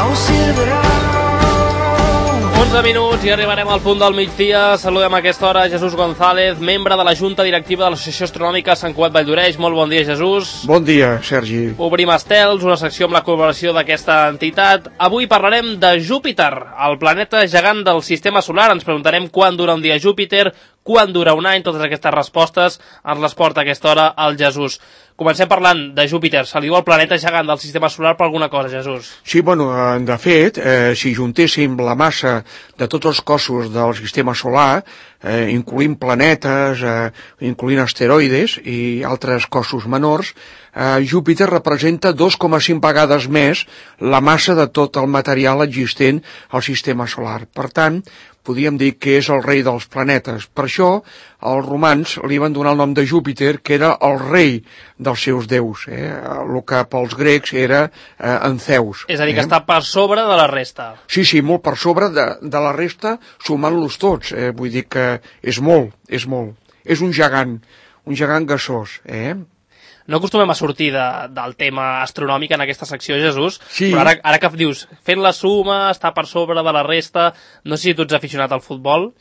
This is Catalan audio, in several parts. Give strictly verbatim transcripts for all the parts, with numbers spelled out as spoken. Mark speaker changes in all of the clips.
Speaker 1: onze minuts i arribarem al punt del migdia. Saludem a aquesta hora Jesús González, membre de la Junta Directiva de l'Associació Astronòmica Sant Cugat Valldoreix. Molt bon dia, Jesús.
Speaker 2: Bon dia, Sergi.
Speaker 1: Obrim estels, una secció amb la col·laboració d'aquesta entitat. Avui parlarem de Júpiter, el planeta gegant del sistema solar. Ens preguntarem quan dura un dia Júpiter, quan dura un any. Totes aquestes respostes ens les porta a aquesta hora el Jesús. Comencem parlant de Júpiter. Se li diu el planeta gegant del sistema solar per alguna cosa, Jesús?
Speaker 2: Sí, bueno, de fet, eh, si juntéssim la massa de tots els cossos del sistema solar, eh, incloent planetes, eh, incloent asteroides i altres cossos menors, eh, Júpiter representa dos coma cinc vegades més la massa de tot el material existent al sistema solar. Per tant, podríem dir que és el rei dels planetes. Per això, els romans li van donar el nom de Júpiter, que era el rei dels seus déus, eh? El que pels grecs era eh, en Zeus.
Speaker 1: És a dir,
Speaker 2: eh?
Speaker 1: que està per sobre de la resta.
Speaker 2: Sí, sí, molt per sobre de, de la resta, sumant-los tots. Eh? Vull dir que és molt, és molt. És un gegant, un gegant gasós, eh?
Speaker 1: No acostumem a sortir de, del tema astronòmic en aquesta secció, Jesús,
Speaker 2: sí.
Speaker 1: Però ara, ara que dius, fent la suma, està per sobre de la resta, no sé si tu ets aficionat al futbol.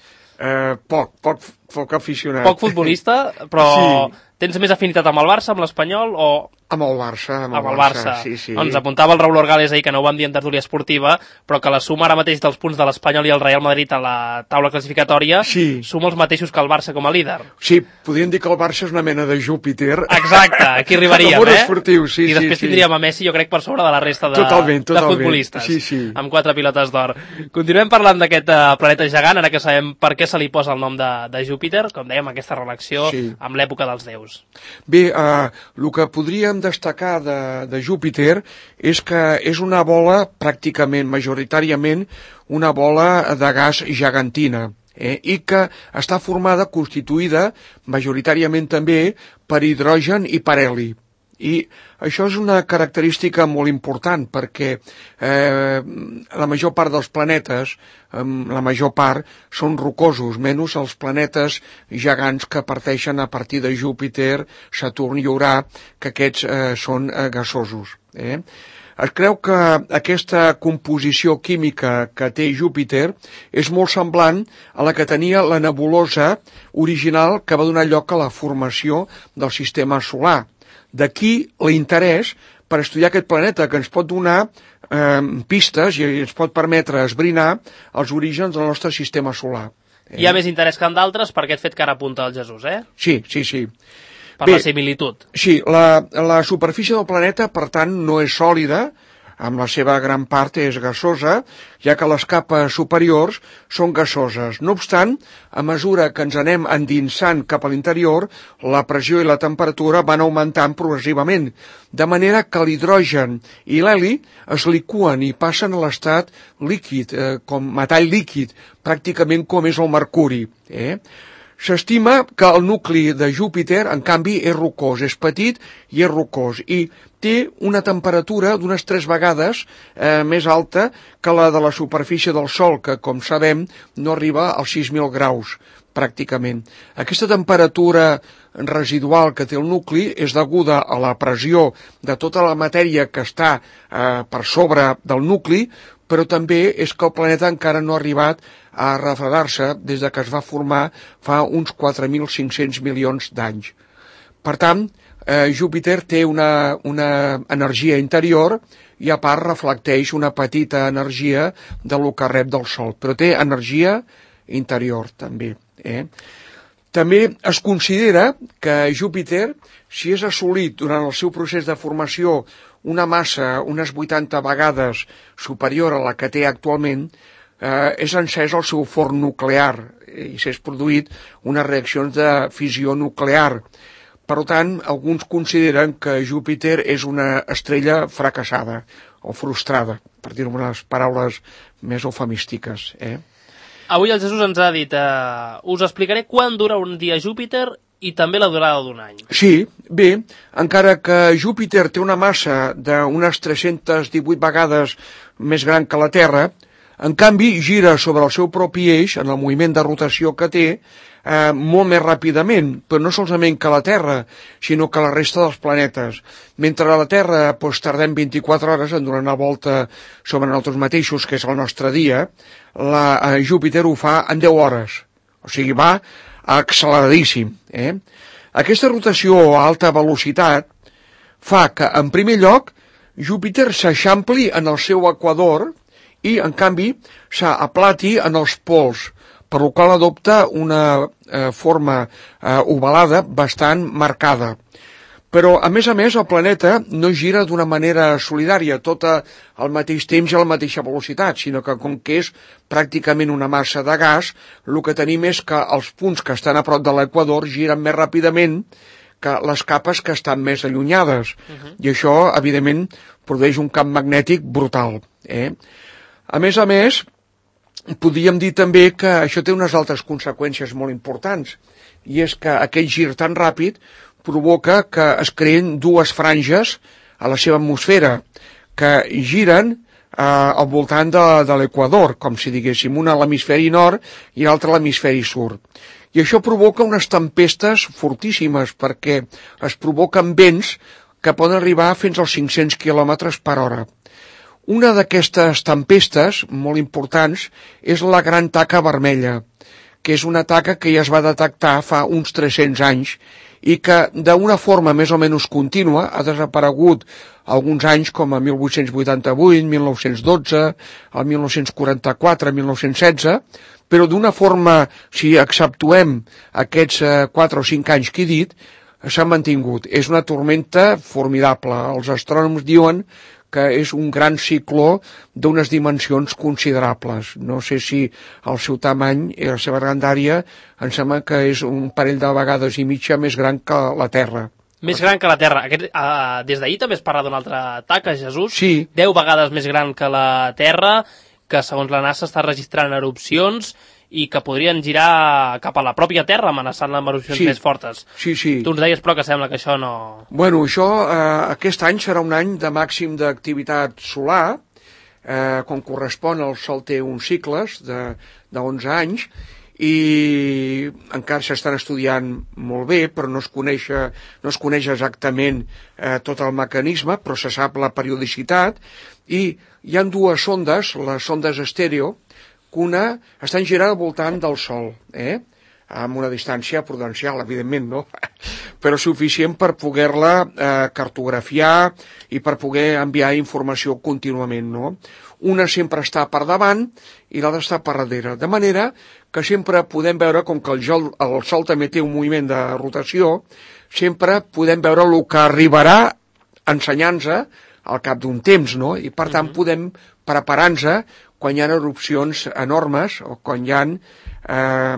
Speaker 2: Eh, poc, poc, poc aficionat.
Speaker 1: Poc futbolista, però sí. Tens més afinitat amb el Barça, amb l'Espanyol, o...
Speaker 2: Amb el Barça, amb el,
Speaker 1: amb el
Speaker 2: Barça,
Speaker 1: Barça.
Speaker 2: Sí, sí.
Speaker 1: Ens apuntava el Raúl Orgales ahir, que no ho vam dir en tertúlia esportiva, però que la suma ara mateix dels punts de l'Espanyol i el Real Madrid a la taula classificatòria
Speaker 2: sí.
Speaker 1: suma els mateixos que el Barça com a líder.
Speaker 2: Sí, podríem dir que el Barça és una mena de Júpiter.
Speaker 1: Exacte, aquí arribaríem, eh?
Speaker 2: Esportiu, sí,
Speaker 1: I després
Speaker 2: sí,
Speaker 1: tindríem
Speaker 2: sí.
Speaker 1: a Messi, jo crec, per sobre de la resta de,
Speaker 2: totalment, totalment.
Speaker 1: de futbolistes,
Speaker 2: sí, sí.
Speaker 1: amb quatre pilotes d'or. Continuem parlant d'aquest uh, planeta gegant, ara que sabem per què se li posa el nom de, de Júpiter, com dèiem, aquesta relació sí. amb l'època dels déus.
Speaker 2: Bé, uh, el que podríem destacar de de Júpiter és que és una bola pràcticament, majoritàriament, una bola de gas gegantina, eh? I que està formada, constituïda, majoritàriament també, per hidrogen i per heli. I això és una característica molt important perquè eh, la major part dels planetes, eh, la major part, són rocosos, menys els planetes gegants que parteixen a partir de Júpiter, Saturn i Urà, que aquests eh, són eh, gasosos. Eh? Es creu que aquesta composició química que té Júpiter és molt semblant a la que tenia la nebulosa original que va donar lloc a la formació del sistema solar. D'aquí l'interès per estudiar aquest planeta, que ens pot donar eh, pistes i ens pot permetre esbrinar els orígens del nostre sistema solar.
Speaker 1: Eh? Hi ha més interès que en d'altres per aquest fet que ara apunta el Jesús, eh?
Speaker 2: Sí, sí, sí.
Speaker 1: Per Bé, la similitud.
Speaker 2: Sí, la, la superfície del planeta, per tant, no és sòlida, amb la seva gran part és gasosa, ja que les capes superiors són gasoses. No obstant, a mesura que ens anem endinsant cap a l'interior, la pressió i la temperatura van augmentant progressivament, de manera que l'hidrogen i l'heli es liquen i passen a l'estat líquid, eh, com metall líquid, pràcticament com és el mercuri. Eh? S'estima que el nucli de Júpiter, en canvi, és rocós, és petit i és rocós, i té una temperatura d'unes tres vegades eh, més alta que la de la superfície del Sol, que, com sabem, no arriba als sis mil graus, pràcticament. Aquesta temperatura residual que té el nucli és deguda a la pressió de tota la matèria que està eh, per sobre del nucli, però també és que el planeta encara no ha arribat a refredar-se des de que es va formar fa uns quatre mil cinc-cents milions d'anys. Per tant, eh, Júpiter té una, una energia interior i a part reflecteix una petita energia de lo que rep del Sol, però té energia interior també. Eh? També es considera que Júpiter, si és assolit durant el seu procés de formació una massa unes vuitanta vegades superior a la que té actualment, eh, és encès el seu forn nuclear i s'és produït unes reaccions de fissió nuclear. Per tant, alguns consideren que Júpiter és una estrella fracassada o frustrada, per dir-ho amb unes paraules més eufemístiques. Eh?
Speaker 1: Avui el Jesús ens ha dit, eh, us explicaré quan dura un dia Júpiter i també la durada d'un any.
Speaker 2: Sí, bé, encara que Júpiter té una massa d'unes tres-centes divuit vegades més gran que la Terra, en canvi gira sobre el seu propi eix, en el moviment de rotació que té, eh, molt més ràpidament, però no solament que la Terra, sinó que la resta dels planetes. Mentre a la Terra doncs, tardem vint-i-quatre hores en donar una volta sobre nosaltres mateixos, que és el nostre dia, la, eh, Júpiter ho fa en deu hores. O sigui, va acceleradíssim. Eh? Aquesta rotació a alta velocitat fa que, en primer lloc, Júpiter s'eixampli en el seu equador i, en canvi, s'aplati en els pols, per la qual adopta una eh, forma eh, ovalada bastant marcada. Però, a més a més, el planeta no gira d'una manera solidària, tot al mateix temps i a la mateixa velocitat, sinó que, com que és pràcticament una massa de gas, el que tenim és que els punts que estan a prop de l'equador giren més ràpidament que les capes que estan més allunyades. Uh-huh. I això, evidentment, produeix un camp magnètic brutal. Eh? A més a més, podríem dir també que això té unes altres conseqüències molt importants, i és que aquest gir tan ràpid provoca que es creen dues franges a la seva atmosfera, que giren eh, al voltant de, de l'equador, com si diguéssim, una a l'hemisferi nord i l'altra a l'hemisferi sud. I això provoca unes tempestes fortíssimes, perquè es provoquen vents que poden arribar fins als cinc-cents quilòmetres per hora. Una d'aquestes tempestes, molt importants, és la Gran Taca Vermella, que és una taca que ja es va detectar fa uns tres-cents anys i que, d'una forma més o menys contínua, ha desaparegut alguns anys com a mil vuit-cents vuitanta-vuit, mil nou-cents dotze, el mil nou-cents quaranta-quatre, mil nou-cents setze, però d'una forma, si exceptuem aquests quatre o cinc anys que he dit, s'ha mantingut. És una tormenta formidable. Els astrònoms diuen que és un gran cicló d'unes dimensions considerables. No sé si el seu tamany i la seva grandària em sembla que és un parell de vegades i mitja més gran que la Terra.
Speaker 1: Més gran que la Terra. Aquest, uh, des d'ahir també es parla d'una altra taca, Jesús.
Speaker 2: Sí.
Speaker 1: Deu vegades més gran que la Terra, que segons la NASA està registrant erupcions i que podrien girar cap a la pròpia Terra amenaçant-la amb erupcions
Speaker 2: sí.
Speaker 1: més fortes.
Speaker 2: Sí, sí.
Speaker 1: Tu ens deies, però, que sembla que això no...
Speaker 2: Bueno, això, eh, aquest any serà un any de màxim d'activitat solar, eh, quan correspon al Sol té uns cicles de, de onze anys, i encara s'estan estudiant molt bé, però no es coneix, no es coneix exactament eh, tot el mecanisme, però se sap la periodicitat, i hi ha dues sondes, les sondes estèreo, que una estan girant al voltant del Sol, eh? amb una distància prudencial, evidentment, no? però suficient per poder-la eh, cartografiar i per poder enviar informació contínuament, no? Una sempre està per davant i l'altra està per darrere, de manera que sempre podem veure, com que el Sol, el Sol també té un moviment de rotació, sempre podem veure el que arribarà ensenyant-nos al cap d'un temps, no? I per tant podem preparar-nos quan hi ha erupcions enormes o quan hi ha eh,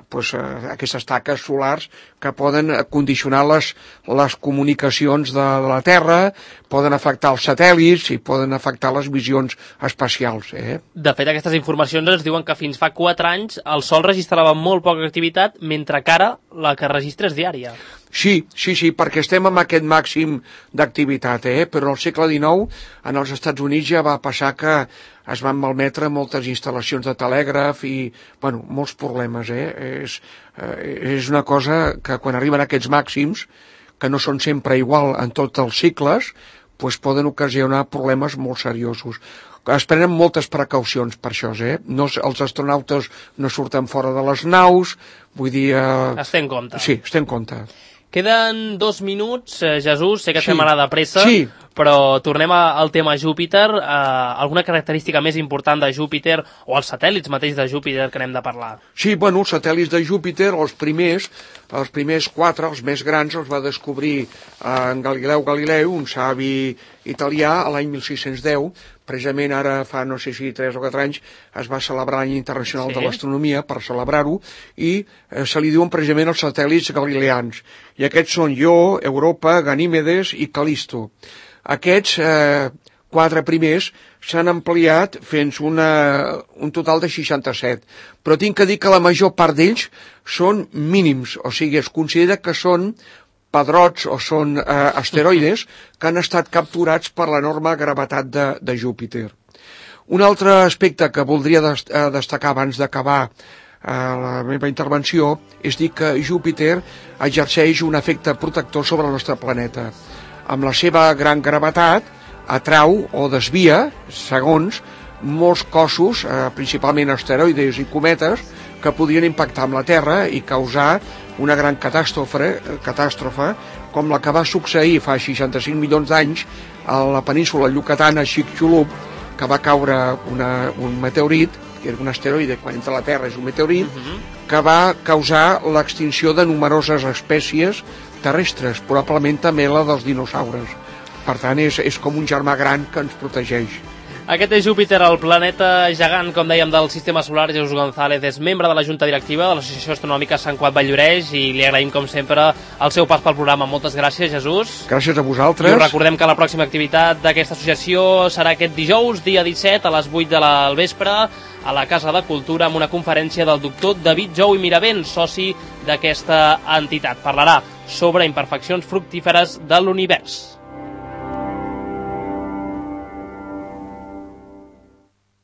Speaker 2: pues, eh, aquestes taques solars que poden condicionar les, les comunicacions de la Terra, poden afectar els satèl·lits i poden afectar les visions espacials. Eh?
Speaker 1: De fet, aquestes informacions ens diuen que fins fa quatre anys el Sol registrava molt poca activitat, mentre que ara la que registra és diària.
Speaker 2: Sí, sí, sí, perquè estem amb aquest màxim d'activitat, eh? però al segle dinou en els Estats Units ja va passar que es van malmetre moltes instal·lacions de telègraf i, bueno, molts problemes. Eh? És, eh, és una cosa que quan arriben aquests màxims, que no són sempre igual en tots els cicles, doncs poden ocasionar problemes molt seriosos. Es prenen moltes precaucions per això, eh? No, els astronautes no surten fora de les naus, vull dir... Eh...
Speaker 1: Es té en compte.
Speaker 2: Sí, es té en compte.
Speaker 1: Queden dos minuts, eh, Jesús, sé que
Speaker 2: sí.
Speaker 1: estem anant de pressa,
Speaker 2: sí.
Speaker 1: però tornem a, al tema Júpiter. Eh, alguna característica més important de Júpiter, o els satèl·lits mateix de Júpiter que anem de parlar?
Speaker 2: Sí, bueno, els satèl·lits de Júpiter, els primers, els primers quatre, els més grans, els va descobrir eh, en Galileu Galileu, un savi italià, a l'any mil sis-cents deu, precisament ara fa no sé si tres o quatre anys es va celebrar l'any internacional sí. de l'astronomia per celebrar-ho i eh, se li diuen precisament els satèl·lits galileans i aquests són Ió, Europa, Ganímedes i Calisto. Aquests eh, quatre primers s'han ampliat fins una, un total de seixanta-set, però tinc que dir que la major part d'ells són mínims, o sigui, es considera que són pedrots o són eh, asteroides que han estat capturats per l'enorme gravetat de, de Júpiter. Un altre aspecte que voldria dest- destacar abans d'acabar a la meva intervenció és dir que Júpiter exerceix un efecte protector sobre el nostre planeta. Amb la seva gran gravetat atrau o desvia, segons, molts cossos, eh, principalment asteroides i cometes, que podrien impactar amb la Terra i causar una gran catàstrofe, catàstrofe com la que va succeir fa seixanta-cinc milions d'anys a la península Yucatán, a Chicxulub, que va caure una, un meteorit, que era un asteroide, quan entra a la Terra és un meteorit, uh-huh. que va causar l'extinció de numeroses espècies terrestres, probablement també la dels dinosaures. Per tant, és, és com un germà gran que ens protegeix.
Speaker 1: Aquest és Júpiter, el planeta gegant, com dèiem, del sistema solar. Jesús González és membre de la Junta Directiva de l'Associació Astronòmica Sant Cugat Valldoreix i li agraïm, com sempre, el seu pas pel programa. Moltes gràcies, Jesús.
Speaker 2: Gràcies a vosaltres.
Speaker 1: I us recordem que la pròxima activitat d'aquesta associació serà aquest dijous, dia disset, a les vuit de la vespre, a la Casa de Cultura, amb una conferència del doctor David Jou i Miravent, soci d'aquesta entitat. Parlarà sobre imperfeccions fructíferes de l'univers.